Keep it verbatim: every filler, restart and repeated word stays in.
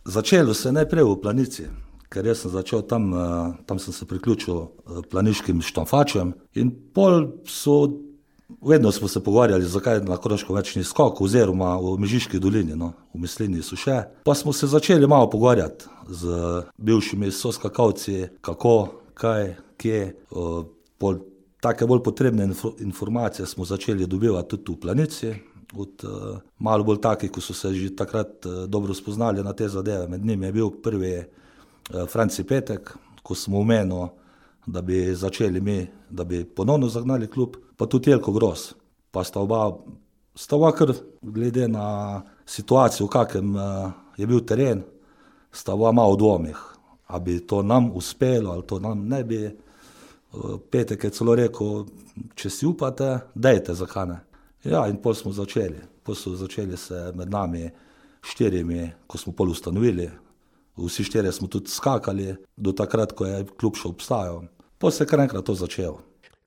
Začelo se je najprej v Planici, ker jaz sem začel tam, tam sem se priključil planiškim štamfačem in pol so, vedno smo se pogovarjali, zakaj na Koroškem več ni skokov, oziroma v Mežiški dolini, no, v Mislinji so še. Pa smo se začeli malo pogovarjati z bivšimi soskakalci, kako, kaj, kje, pol take bolj potrebne informacije smo začeli dobivati tudi v Planici, od uh, malo bolj takih, ko so se že takrat uh, dobro spoznali na te zadeve. Med njimi je bil prvi uh, Franci Petek, ko smo omenili, da bi začeli mi, da bi ponovno zagnali klub, pa tudi Jelko Gros. Pa sta oba, sta oba kar glede na situacijo, v kakem uh, je bil teren, sta oba malo v dvomih, a bi to nam uspelo, ali to nam ne bi. Uh, Petek je celo rekel, če si upate, dajte, zakaj ne. Ja, in pol smo začeli. Pol so začeli se med nami štirimi, ko smo pol ustanovili. Vsi štirje smo tudi skakali, do takrat, ko je klub še obstajal. Pol se je kar enkrat to začelo.